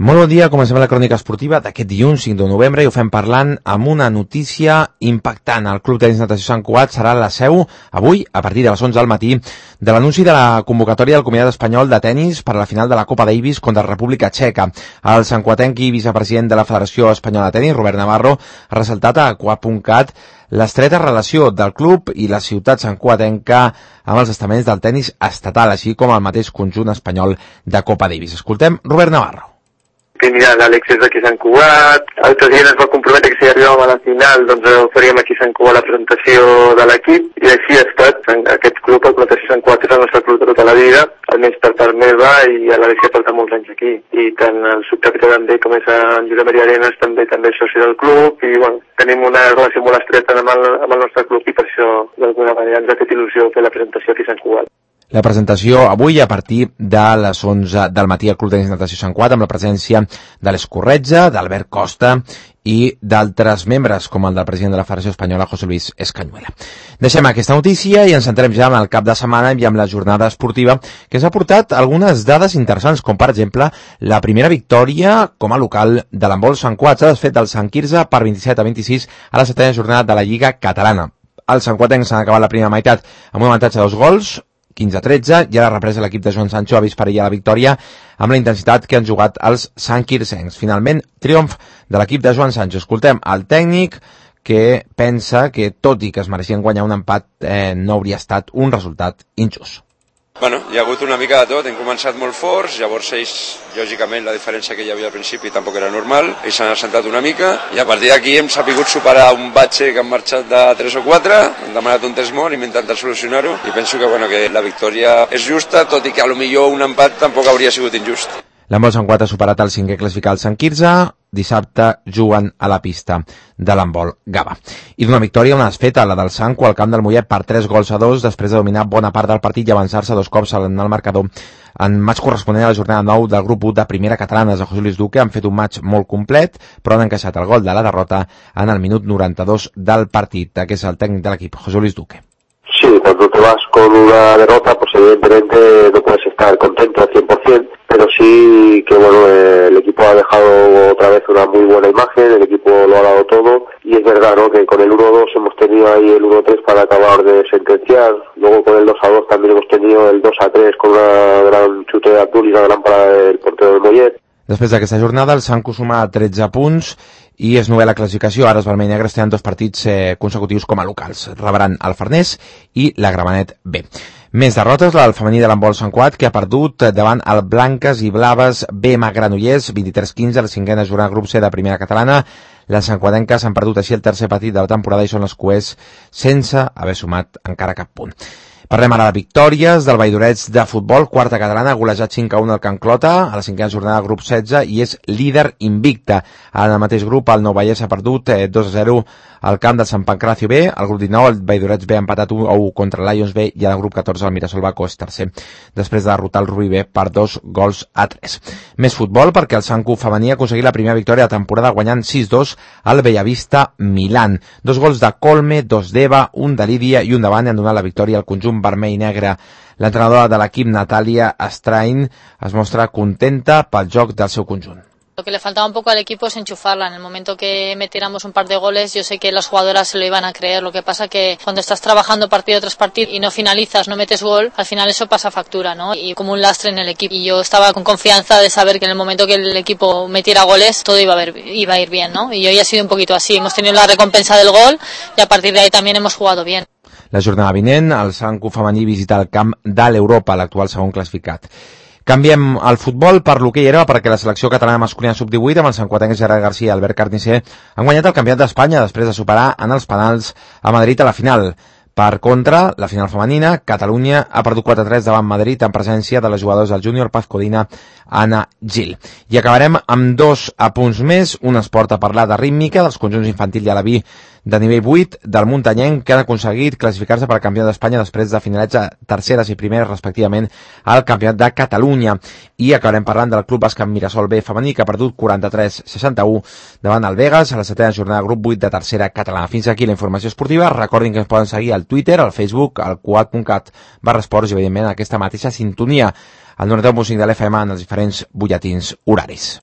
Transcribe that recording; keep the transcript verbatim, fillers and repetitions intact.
Molt bon dia, comencem la crònica esportiva d'aquest dilluns cinc de novembre i ho fem parlant amb una notícia impactant. El Club Tenis Natació Sant Cugat serà la seu avui, a partir de les onze del matí, de l'anunci de la convocatòria del Comitat Espanyol de Tenis per a la final de la Copa Davis contra la República Txeca. El santcuatenc i vicepresident de la Federació Espanyola de Tenis, Robert Navarro, ha ressaltat a cuat punt cat l'estreta relació del club i la ciutat santcuatenca amb els estaments del tenis estatal, així com el mateix conjunt espanyol de Copa Davis. Escoltem Robert Navarro. Que mira, l'Àlex és d'aquí Sant Cugat, el president es va comprometre que si arribàvem a la final doncs faríem aquí a Sant Cugat la presentació de l'equip i així ha estat. Aquest club, el Natació Sant Cugat, és el nostre club de tota la vida, almenys per part meva i a l'Àlex que porta molts anys aquí. I tant el subcapità també com és en Josep Maria Arenas també també és soci del club i bueno, tenim una relació molt estreta amb el, amb el nostre club i per això d'alguna manera ens ha fet il·lusió fer la presentació aquí a Sant Cugat. La presentació avui a partir de les onze del matí al Club Tenis Natació Sant Cugat amb la presència de l'Escorretja, d'Albert Costa i d'altres membres com el del president de la Federació Espanyola, José Luis Escañuela. Deixem aquesta notícia i ens centrem ja en el cap de setmana i amb la jornada esportiva que ens ha portat algunes dades interessants, com per exemple la primera victòria com a local de l'handbol Sant Cugat. S'ha desfet del Sant Quirze per vint-i-set a vint-i-sis a la setena jornada de la Lliga Catalana. Els santcuatencs s'han acabat la primera meitat amb un avantatge de dos gols, quinze a tretze, i a la represa l'equip de Joan Sancho ha vist perillar la victòria amb la intensitat que han jugat els santquircencs. Finalment, triomf de l'equip de Joan Sancho. Escoltem el tècnic que pensa que, tot i que es mereixien guanyar un empat, eh, no hauria estat un resultat injust. Bueno, hi ha hagut una mica de tot, hem començat molt forts, llavors ells, lògicament, la diferència que hi havia al principi tampoc era normal, ells s'han assentat una mica, i a partir d'aquí hem sabut superar un batxe que han marxat de tres o quatre, hem demanat un test mort, hem intentat solucionar-ho, i penso que, bueno, que la victòria és justa, tot i que a lo millor un empat tampoc hauria sigut injust. L'handbol Sant Cugat ha superat el cinquè classificat Sant Quirze, dissabte juguen a la pista de l'handbol Gava. I d'una victòria una desfeta, la del Sanco al camp del Mollet per tres gols a dos, després de dominar bona part del partit i avançar-se dos cops en el marcador en match corresponent a la jornada nou del grup u de primera catalana. De José Luis Duque han fet un match molt complet, però han encaixat el gol de la derrota en el minut noranta-dos del partit. Aquest és el tècnic de l'equip, José Luis Duque. Sí, cuando te vas con una derrota, pues evidentemente no puedes estar contento al cien por cien, pero sí que bueno, eh, el equipo ha dejado otra vez una muy buena imagen, el equipo lo ha dado todo y es verdad, ¿no?, que con el uno dos hemos tenido ahí el uno tres para acabar de sentenciar, luego con el dos a dos también hemos tenido el dos a tres con una gran chute de Abdul y una gran parada del portero del Mollet. Després d'aquesta jornada, el Sanco suma tretze punts i és novè la classificació. Ara els vermell i negres tenen dos partits eh, consecutius com a locals. Rebran el Farners i la Gramenet B. Més derrotes, la del femení de l'handbol Sant Cugat, que ha perdut davant el Blanques i Blaves B M Granollers, vint-i-tres quinze, a la cinquena jornada grup C de primera catalana. Les santcuatenques han perdut així el tercer partit de la temporada i són les cuers sense haver sumat encara cap punt. Parlem ara de victòries del Valldorets de futbol, quarta catalana, golejat cinc a un al Can Clota, a la cinquena jornada grup setze, i és líder invicta. En el mateix grup, el Nou Vallès ha perdut eh, dos a zero al camp del Sant Pancracio B, al grup dinou, el Valldorets B ha empatat un a u contra el Lions B, i al grup catorze, el Mirasol Baco és tercer, després de derrotar el Rubí B per dos gols a tres. Més futbol, perquè el Sanco femení ha aconseguit la primera victòria de la temporada guanyant sis dos al Bellavista Milán. Dos gols de Colme, dos d'Eva, un de Lídia i un de Bane han donat la victòria al conjunt vermell i negre. L'entrenadora de l'equip, Natàlia Estrain, es mostra contenta pel joc del seu conjunt. Lo que le faltaba un poco al equipo es enchufarla. En el momento que metiéramos un par de goles, yo sé que las jugadoras se lo iban a creer. Lo que pasa que cuando estás trabajando partido tras partido y no finalizas, no metes gol, al final eso pasa factura, ¿no? Y como un lastre en el equipo. Y yo estaba con confianza de saber que en el momento que el equipo metiera goles, todo iba a, ver, iba a ir bien, ¿no? Y hoy ha sido un poquito así. Hemos tenido la recompensa del gol y a partir de ahí también hemos jugado bien. La jornada vinent, el Sanco femení visita el camp de l'Europa, l'actual segon classificat. Canviem el futbol per l'hoquei herba perquè la selecció catalana masculina sub divuit amb el santcuatenc Gerard García i Albert Carnicer han guanyat el campionat d'Espanya després de superar en els penals a Madrid a la final. Per contra, la final femenina, Catalunya ha perdut quatre a tres davant Madrid en presència de les jugadors del júnior Paz Codina, Anna Gil. I acabarem amb dos apunts més, un esport a parlar de rítmica dels conjunts infantil i alaví de nivell vuit del muntanyenc que han aconseguit classificar-se per al campió d'Espanya després de finalitzar terceres i primeres respectivament al campionat de Catalunya. I acabarem parlant del Club Bàsquet Mirasol B femení que ha perdut quaranta-tres a seixanta-u davant el Vegas a la setena jornada grup vuit de tercera catalana. Fins aquí la informació esportiva. Recordin que ens poden seguir al Twitter, al Facebook, al cuat punt cat barra esports i evidentment aquesta mateixa sintonia al noranta-u punt cinc de l'F M en els diferents butlletins horaris.